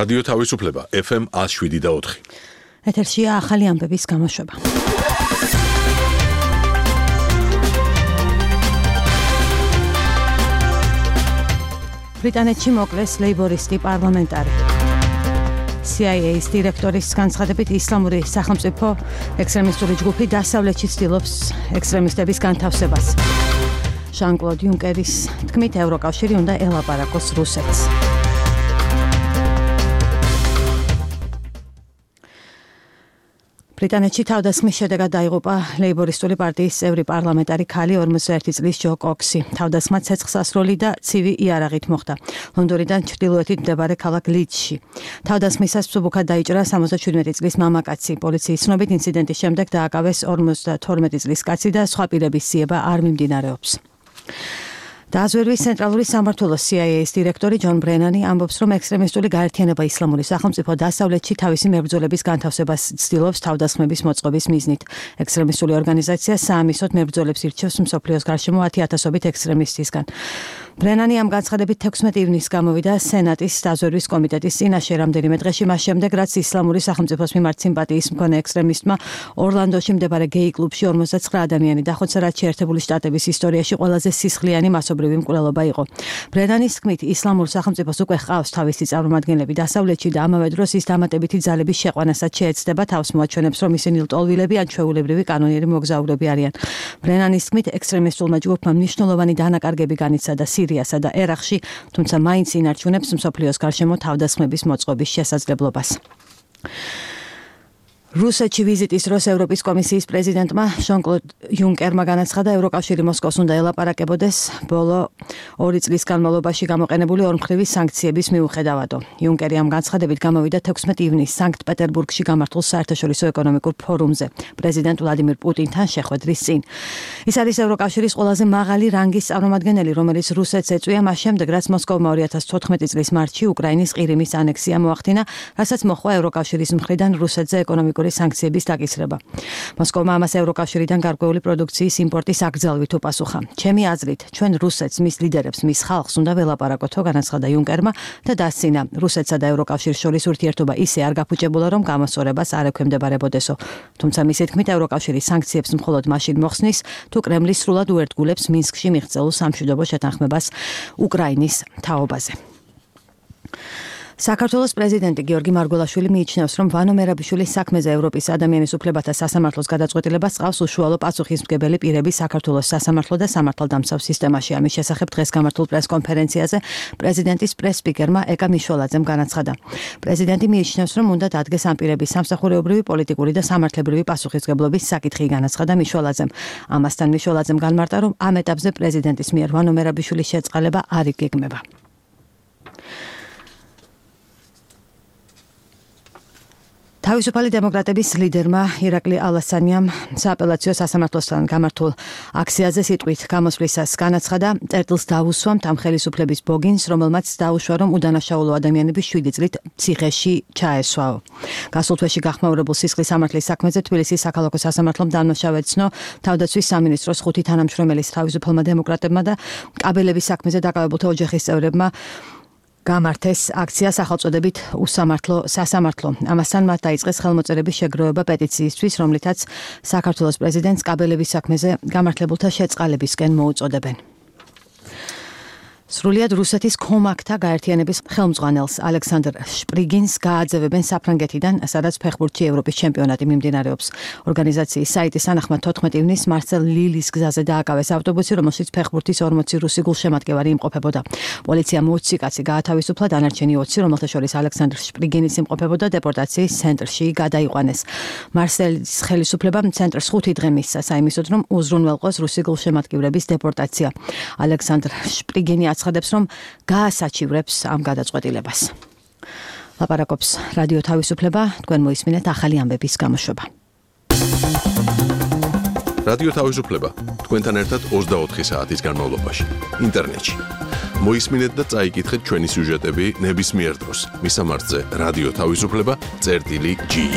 რადიო თავისუფლება FM 107.4. ეთერშია ახალი ამბების გამოშვება. ბრიტანეთში მოკლეს ლეიბორისტი პარლამენტარი. CIA-ის დირექტორის განცხადებით ისლამური სახელმწიფო ექსტრემისტული ჯგუფი დასავლეთში ცდილობს ექსტრემისტების განთავსებას. ჟან-კლოდ იუნკერის თქმით ევროკავშირი უნდა ელაპარაკოს რუსეთს. ბრიტანეთში თავდასხმის შედეგად დაიღუპა ლეიბორისტული პარტიის წევრი პარლამენტარი ქალი 41 წლის ჯო კოქსი. თავდასხმა ცეცხლსასროლი და ცივი იარაღით მოხდა. ლონდონიდან ჩრდილოეთით მდებარე ქალაქ ლიდსში. თავდასხმისას მსუბუქად დაიჭრა 77 წლის მამაკაცი. პოლიციის ცნობით ინციდენტის შემდეგ დააკავეს 52 წლის კაცი და სხვა პირების ძიება არ მიმდინარეობს. დააზვერვის ცენტრალური სამმართველოს CIA-ის დირექტორი ჯონ ბრენანი ამბობს, რომ ექსტრემისტული გაერთიანება ისლამური სახელმწიფო დასავლეთში თავისი მებრძოლების განთავსებას ცდილობს თავდასხმების მოწყობის მიზნით. ექსტრემისტული ორგანიზაცია საამისოდ მებრძოლებს ირჩევს მსოფლიოს გარშემო 10,000-ობით ექსტრემისტისგან. ბრენანი ამ განცხადებით 16 ივნისს გამოვიდა სენატის დაზვერვის კომიტეტის წინაშე რამდენიმე დღეში მას შემდეგ, რაც ისლამური სახელმწიფოს მიმართ სიმპათიის მქონე ექსტრემისტმა ორლანდოში მდებარე გეი კლუბში 59 ადამიანი დახოცა, რაც შეერთებული შტატების ისტორიაში ყველაზე სისხლიანი მასობრივი მკვლელობა იყო. ბრენანის თქმით, ისლამურ სახელმწიფოს უკვე ჰყავს თავისი წარმომადგენლები დასავლეთში და ამავე დროს ის დამატებითი ძალების შეყვანასაც შეეცდება, თავს მოაჩვენებს, რომ ისინი ლტოლვილები ან ჩვეულებრივი კანონიერი მოგზაურები არიან. ბრენანის თქმით, ექსტრემისტულმა ჯგუფმა მნიშვნელოვანი დანაკარგები განიცადა სირიასა და ერაყში, თუმცა მაინც ინარჩუნებს მსოფლიოს გარშემო თავდასხმების მოწყობის შესაძლებლობას. რუსეთში ვიზიტის დროს ევროპის კომისიის პრეზიდენტმა ჟან-კლოდ იუნკერმა განაცხადა, ევროკავშირი მოსკოვს უნდა ელაპარაკებოდეს ბოლო 2 წლის განმავლობაში გამოყენებული ორმხრივი სანქციების მიუხედავადო. იუნკერი ამ განცხადებით გამოვიდა 16 ივნისს სანქტ-პეტერბურგში გამართულ საერთაშორისო ეკონომიკურ ფორუმზე პრეზიდენტ ვლადიმირ პუტინთან შეხვედრის წინ. ის არის ევროკავშირის ყველაზე მაღალი რანგის წარმომადგენელი, რომელიც რუსეთს ეწვია მას შემდეგ, რაც მოსკოვმა 2014 წლის მარტში უკრაინის ყირიმის ანექსია მოახდინა, რასაც მოჰყვა ევროკავშირის მხრიდან რუსეთზე ეკონომიკური სანქციების დაკისრება. მოსკოვმა ამას ევროკავშირიდან გარკვეული პროდუქციის იმპორტის აკრძალვით უპასუხა. ჩემი აზრით, ჩვენ რუსეთს, მის ლიდერებს, მის ხალხს უნდა ველაპარაკოთო, განაცხადა იუნკერმა და დასცინა, რუსეთსა და ევროკავშირის შორის ურთიერთობა ისე არ გაფუჭებულა, რომ გამოსწორებას არ ექვემდებარებოდესო. თუმცა მისი თქმით, ევროკავშირი სანქციებს მხოლოდ მაშინ მოხსნის, თუ კრემლი სრულად უერთგულებს მინსკში მიღწეულ სამშვიდობო შეთანხმებას უკრაინის თაობაზე. საქართველოს პრეზიდენტი გიორგი მარგველაშვილი მიიჩნევს, რომ ვანო მერაბიშვილის საქმეზე ევროპის ადამიანის უფლებათა სასამართლოს გადაწყვეტილებას ყავს უშუალო პასუხისმგებელი პირები საქართველოს სასამართლო და სამართალდამცავ სისტემაში. ამის შესახებ დღეს გამართულ პრესკონფერენციაზე პრეზიდენტის პრეს-სპიკერმა ეკა მიშველაძემ განაცხადა. პრეზიდენტი მიიჩნევს, რომ უნდა დადგეს ამ პირების სამსახურეობრივი, პოლიტიკური და სამართლებრივი პასუხისმგებლობის საკითხი, განაცხადა მიშველაძემ. ამასთან მიშველაძემ განმარტა, რომ ამ ეტაპზე პრეზიდენტის მიერ ვანო მერაბიშვილის შეწყალება არ იგეგმება. თავისუფალი დემოკრატების ლიდერმა ირაკლი ალასანიამ სააპელაციო სასამართლოსთან გამართულ აქციაზე სიტყვით გამოსვლისას განაცხადა, წერტილს დაუსვამთ ამ ხელისუფლების ბოგინს, რომელმაც დაუშვა, რომ უდანაშაულო ადამიანები 7 წლით ციხეში ჩაესვაო. გასულ თვეში გახმაურებულ სისხლის სამართლის საქმეზე თბილისის საქალაქო სასამართლომ დამნაშავე ცნო თავდაცვის სამინისტროს 5 თანამშრომელის თავისუფალმა დემოკრატებმა და კაბელების საქმეზე დაკავებულთა ოჯახის წევრებმა გამართეს აქცია სახელწოდებით უსამართლო სასამართლო. ამასთან მათ დაიწყეს ხელმოწერების შეგროვება პეტიციისთვის, რომლითაც საქართველოს პრეზიდენტს კაბელების საქმეზე გამართლებულთა შეწყალებისკენ მოუწოდებენ. სრულიად რუსეთის ქომაკთა გაერთიანების ხელმძღვანელს ალექსანდრ შპრიგინს გააძევებენ საფრანგეთიდან, სადაც ფეხბურთში ევროპის ჩემპიონატი მიმდინარეობს. ორგანიზაციის საიტის თანახმად 14 ივნისს მარსელ ლილის გზაზე დააკავეს ავტობუსი, რომელშიც ფეხბურთის 40 რუსი გულშემატკივარი იმყოფებოდა. პოლიციამ 20 კაცი გაათავისუფლა, დანარჩენი 20, რომელთა შორის ალექსანდრ შპრიგინის იმყოფებოდა, დეპორტაციის ცენტრში გადაიყვანეს. მარსელის ხელისუფლებამ ცენტრს 5 დღე მისცა საიმისოდ, რომ უზრუნველყოს რუსი გულშემატკივრების დეპორტაცია. ალექსანდრ შპრიგინი აცხადებს, რომ გაასაჩივრებს ამ გადაწყვეტილებას. ლაპარაკობს რადიო თავისუფლება, თქვენ მოისმინეთ ახალი ამბების გამოშვება. რადიო თავისუფლება, თქვენთან ერთად 24 საათის განმავლობაში, ინტერნეტში. მოისმინეთ და წაიკითხეთ ჩვენი სიუჟეტები ნებისმიერ დროს. მისამართზე რადიო თავისუფლება.gi